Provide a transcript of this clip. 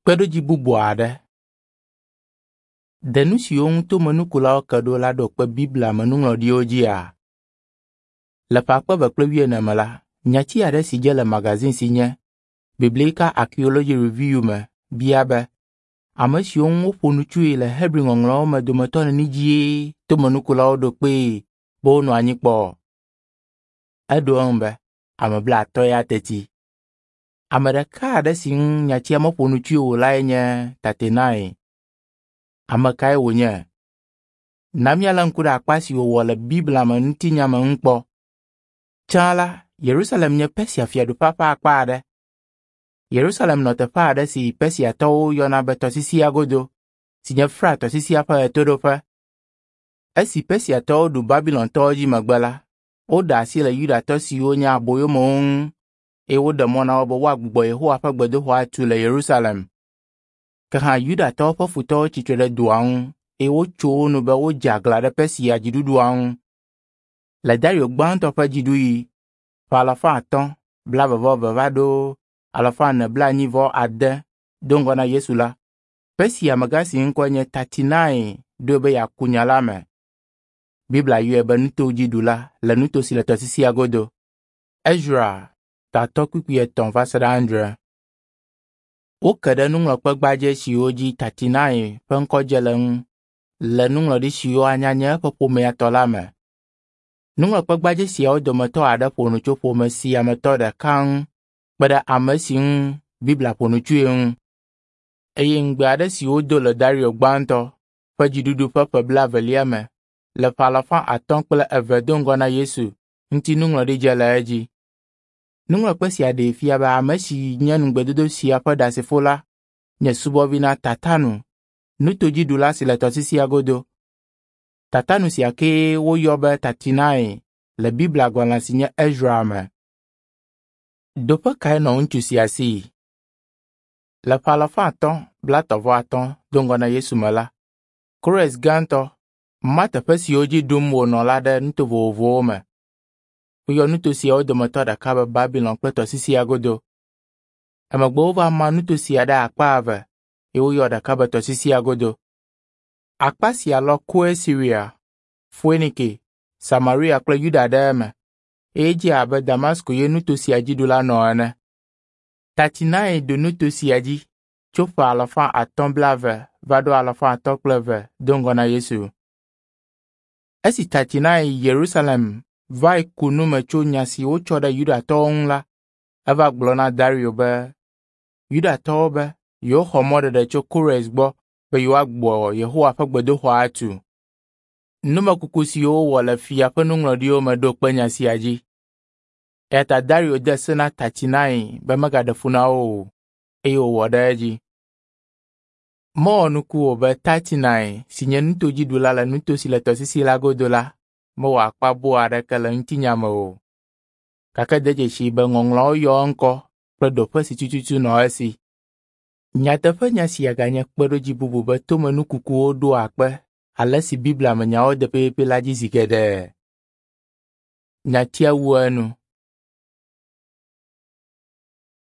Kpeɖodzi bubu aɖe. Ɖe nu siwo ŋu tomenukulawo ke ɖo la ɖo kpe Biblia me nuŋlɔɖiwo dzia? Le ƒe akpe eve kple wuiene me la, nyati aɖe si dze le magazine si nye Biblical Archaeology Review me bia be, ame siwo ŋu woƒo nu tsoe le Hebri Ŋɔŋlɔawo me dometɔ neni dzie tomenukulawo ɖo kpee be wonɔ anyi kpɔ? Eɖo eŋu be, ame blaatɔ̃ ya teti. Ame ɖeka aɖe si ŋu nyatia meƒo nu tsoe o lae nye Tatenai. Ame kae wònye? Na míalé ŋku ɖe akpa si wòwɔ le Biblia me ŋutinya me ŋu kpɔ. Tsã la, Yerusalem nye Persia fiaɖuƒea ƒe akpa aɖe. Yerusalem nɔ teƒe aɖe si Persiatɔwo yɔna be tɔsisia godo, si nye Frat tɔsisia ƒe ɣetoɖoƒe. Esi Persiatɔwo ɖu Babilontɔwo dzi megbe la, woɖe asi le Yudatɔ siwo nye aboyomewo ŋu eye woɖe mɔ na wo be woagbugbɔ Yehowa ƒe gbedoxɔ atu le Yerusalem. Ke hã Yudatɔwo ƒe futɔwo tsi tre ɖe dɔa ŋu eye wotso wo nu be wodze aglã ɖe Persia dziɖuɖua ŋu. Le Dario gbãtɔ ƒe dziɖuɣi, ƒe alafa atɔ̃ blaeve-vɔ-eve va ɖo alafa ene blaenyi-vɔ-ade do ŋgɔ na Yesu la, Persia amegã si ŋkɔe nye Tatinai ɖoe be yeaku nya la me. Biblia yɔe be nutodziɖula le nuto si le tɔsisia godo. Ezra tatɔ kpukpui etɔ̃ va se ɖe adre. Woke ɖe nuŋlɔkpe gbadzɛ siwo dzi Tatinai ƒe ŋkɔ dze le ŋu le nuŋlɔɖi siwo anya nye eƒe ƒomea tɔ la me. Nuŋlɔkpe gbadzɛ siawo dometɔ aɖe ƒo nu tso ƒome sia me tɔ ɖeka ŋu kpe ɖe ame si ŋu Biblia ƒo nu tsoe ŋu. Eye ŋugbe aɖe si wodo le Dario gbãtɔ ƒe dziɖuɖu ƒe ƒe blaevelia me le ƒe alafa atɔ̃ kple eve do ŋgɔ na Yesu ŋuti nuŋlɔɖi dze le edzi. Nuŋlɔkpe sia ɖee fia be ame si nye ŋugbedodo sia ƒe ɖasefo la nye subɔvi na Tatanu, nutodziɖula si le tɔsisia godo. Tatanu sia kee woyɔ be Tatinai le Biblia gbalẽ si nye Ezra me. Ɖoƒe kae nɔ ŋutsu sia si? Le ƒe alafa atɔ̃ blaetɔ̃ vɔ atɔ̃ do ŋgɔ na Yesu me la, Kores Gãtɔ ma teƒe siwo dzi ɖum wònɔ la ɖe nuto vovovowo me. Woyɔ nuto siawo dometɔ ɖeka be Babilon kple tɔsisia godo. Emegbe wova ma nuto sia ɖe akpa eve eye woyɔ ɖeka be tɔsisia godo. Akpa sia lɔ Koe Siria, Foenike, Samaria kple Yuda ɖe eme eye edze abe Damasko ye nuto sia dziɖula nɔ ene. Tatinai ɖu nuto sia dzi tso ƒe alafa atɔ̃ blaeve va ɖo alafa atɔ̃ kple eve do ŋgɔ na Yesu. Esi Tatinai yi Yerusalem vae ku nu me tso nya si wotsɔ ɖe Yudatɔwo ŋu la, eva gblɔ na Dario be Yudatɔwo be yewoxɔ mɔɖeɖe tso Kores gbɔ be yewoagbugbɔ Yehowa ƒe gbedoxɔ atu. Numekuku siwo wowɔ le fia ƒe nuŋlɔɖiwo me ɖo kpe nya sia dzi. Eya ta Dario de se na Tatinai be megaɖe fu na wo o, eye wòwɔ ɖe edzi. Mewɔ nuku o be Tatinai si nye nutodziɖula le nuto si le tɔsisi la godo la mewɔ akpa boo aɖeke le ŋutinya me o. Gake de dzesii be Ŋɔŋlɔawo yɔ eŋkɔ kple ɖoƒe si tututu nɔ esi. Nyateƒenya sia ganye kpeɖodzi bubu be tomenukukuwo ɖoa kpe ale si Biblia me nyawo de pɛpɛpɛ la dzi zi geɖe. Nyatia wu enu.